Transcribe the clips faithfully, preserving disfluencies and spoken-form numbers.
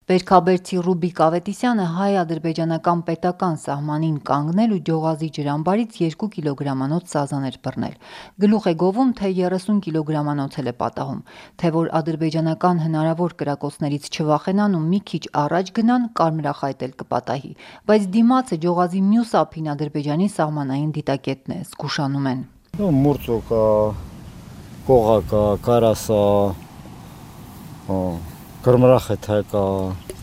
Բերքաբերցի Ռուբիկ Ավետիսյանը հայ-ադրբեջանական պետական սահմանին կանգնել ու Ջողազի ջրամբարից երկու կիլոգրամանոց սազան էր բռնել։ Գլուխ է գովում, թե երեսուն կիլոգրամանոց էլ է պատահում, թե որ ադրբեջանական հնարավոր կրակոցներից չվախենան ու մի քիչ առաջ գնան, կարմրախայտ էլ կպատահի, բայց դիմացը Ջողազի մյուս ափին Ադրբեջանի սահմանային դիտակետն է, զգուշանում են։ Մուրցոկա, կողակա, կարասա, կարմրախայտակա,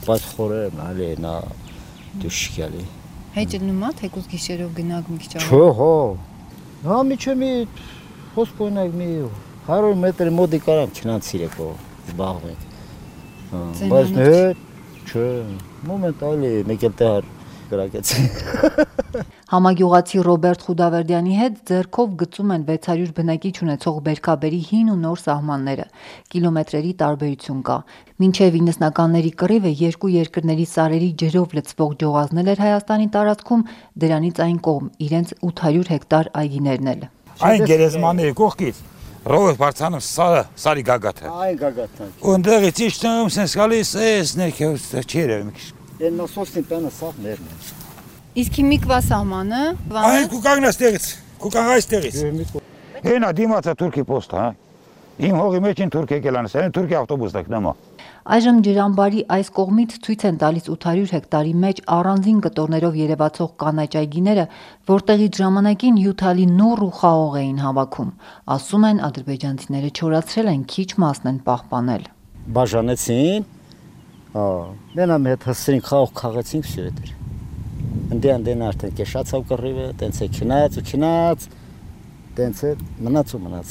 բայց խորերն ալի նա դուշկալի։ Հետ նումա թեկուզ գիշերով գնաք մի քիչ առաջ։ Չէ, հո։ Հա միջը մի հոսպոյնակ մի հարյուր մետր մոտի կարամ չնացիրեկո զբաղվենք։ Բայց հետ, չէ, մոմենտալի մեկ էլ տեղ կրակեցի։ Համագյուղացի Ռոբերտ Խուդավերդյանի հետ ձեռքով գծում են վեց հարյուր բնակիչ ունեցող Բերքաբերի հին ու նոր սահմանները, կիլոմետրերի տարբերություն կա։ Մինչև իննսնականների կռիվը երկու երկրների սարերի ջրով լցվող Ջողազն էր Հայաստանի տարածքում, դրանից այն կողմ իրենց ութ հարյուր հեկտար այգիներն էլ։ Այն գերեզմանների կողքից Ռոբերտ Բարցանով սարը, սարի գագաթը։ Այն գագաթը։ Ունդեղից իջնում, սենց գալիս, էս ներքևից չերև մի քիչ։ Այն նոսոսին տանը սաղ մերն է։ Իսկ հիմիկվա սահմանը։ Այն կուկանգն այստեղից, կուկանգ այստեղից։ Հենա դիմացը Թուրքի պոստը, հա։ Իմ հողի մեջ են Թուրք եկել անես, այն Թուրքի ավտոբուսն եք նամա։ Այժմ ջրամբարի այս կողմից ցույց են տալիս ութ հարյուր հեկտարի մեջ առանձին կտորներով երևացող կանաչ այգիները, որտեղից ժամանակին հյութալի նուռ ու խաղող էին հավաքում։ Ասում են ադրբեջանցիները չորացրել են, քիչ մասն են պահպանել։ Բաժանեցին, հա, մենա մետ հսրին խաղող քաղեցինք շիրետեր։ Ընդ անդեն արդեն կեշացավ կռիվը, տենց է քնած ու քնած, տենց է մնաց ու մնաց։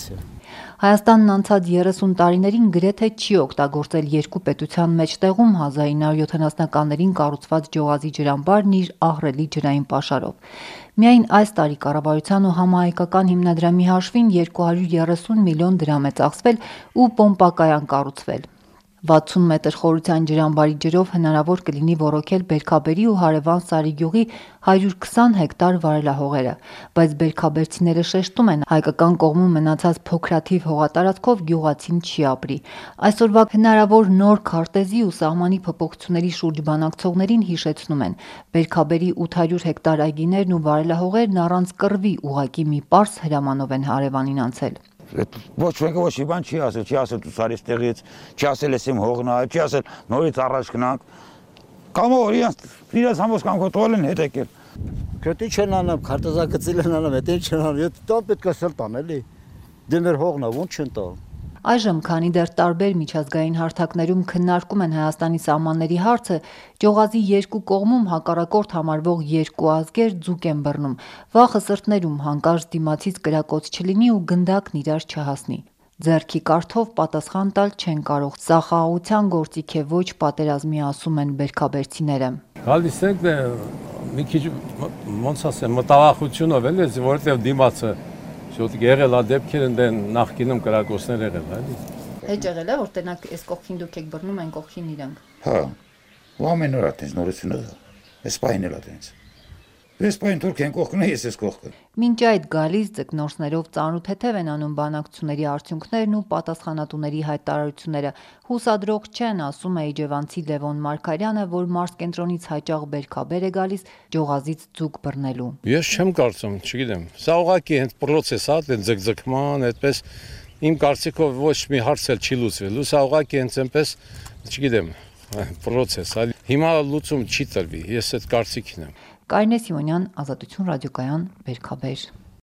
Հայաստանն անցած երեսուն տարիներին գրեթե չի օգտագործել երկու պետության մեջտեղում հազար ինը հարյուր յոթանասունականներին կառուցված Ջողազի ջրամբարն իր ահռելի ջրային պաշարով։ Միայն այս տարի կառավարության ու համահայկական հիմնադրամի հաշվին երկու հարյուր երեսուն միլիոն դրամ է ծախսվել ու պոմպակայան կառուցվել։ վաթսուն մետր խորության ջրամբարի ջրով հնարավոր կլինի ոռոգել Բերքաբերի ու հարևան Սարիգյուղի հարյուր քսան հեկտար վարելահողերը, բայց բերքաբերցիները շեշտում են, հայկական կողմում մնացած փոքրաթիվ հողատարածքով գյուղացին չի ապրի։ Այսօրվա հնարավոր նոր քարտեզի ու սահմանի փոփոխությունների շուրջ բանակցողներին հիշեցնում են, Բերքաբերի ութ հարյուր հեկտար այգիներն ու վարելահողերն առանց կռվի ուղղակի մի պարզ հրամանով են հարևանին անցել։ Ոչ մեկը ոչ մի բան չի ասել, չի ասել դու սարից տեղից, չի ասել ես իմ հողն է, չի ասել նորից առաջ գնանք։ Կամ որ իրենց իրենց համոս կամ կոտրել են հետ եկել։ Քրտի չեն անում, քարտեզագծել են անում, հետո չեն անում, եթե դա պետք է սել տան էլի։ Դե մեր հողն է, ո՞նց չեն տա։ Այժմ, քանի դեռ տարբեր միջազգային հարթակներում քննարկում են Հայաստանի սահմանների հարցը, Ջողազի երկու կողմում հակառակորդ համարվող երկու ազգեր ձուկ են բռնում, վախը սրտներում հանկարծ դիմացից կրակոց չլինի ու գնդակն իրար չհասնի։ Ձեռքի կարթով պատասխան տալ չեն կարող, սա խաղաղության գործիք է, ոչ պատերազմի, ասում են բերքաբերցիները։ Գալիս ենք մի քիչ ոնց ասեմ, մտավախությունով էլ է, որովհետև դիմացը Շոտ եղել է դեպքեր ընդեն նախկինում կրակոցներ եղել, էլի։ Հետ եղել է, որ տենակ այս կողքին դուք եք բռնում, այն կողքին իրանք։ Հա, ու ամեն օր այդպես նորություն է, այս պահին էլ այդպես։ Այս պահին Թուրքիան կողքն է, ես ես կողքը։ Մինչ այդ գալիս ձկնորսներով ծանոթ-թեթև են անում բանակցությունների արդյունքներն ու պատասխանատուների հայտարարությունները։ Հուսադրող չեն, ասում է իջևանցի Լևոն Մարգարյանը, որ մարզկենտրոնից հաճախ Բերքաբեր է գալիս Ջողազից ձուկ բռնելու։ Ես չեմ կարծում, չգիտեմ։ Սա ուղղակի հենց պրոցես է, դեն ձգձգման, այդպես իմ կարծիքով ոչ մի հարց էլ չի լուծվելու։ Սա ուղղակի հենց այնպես, չգիտեմ, պրոցես է։ Հիմա լուծում չի տրվի, ես այդ կարծիքին եմ։ Կարինե Սիմոնյան, Ազատություն ռադիոկայան, Բերքաբեր։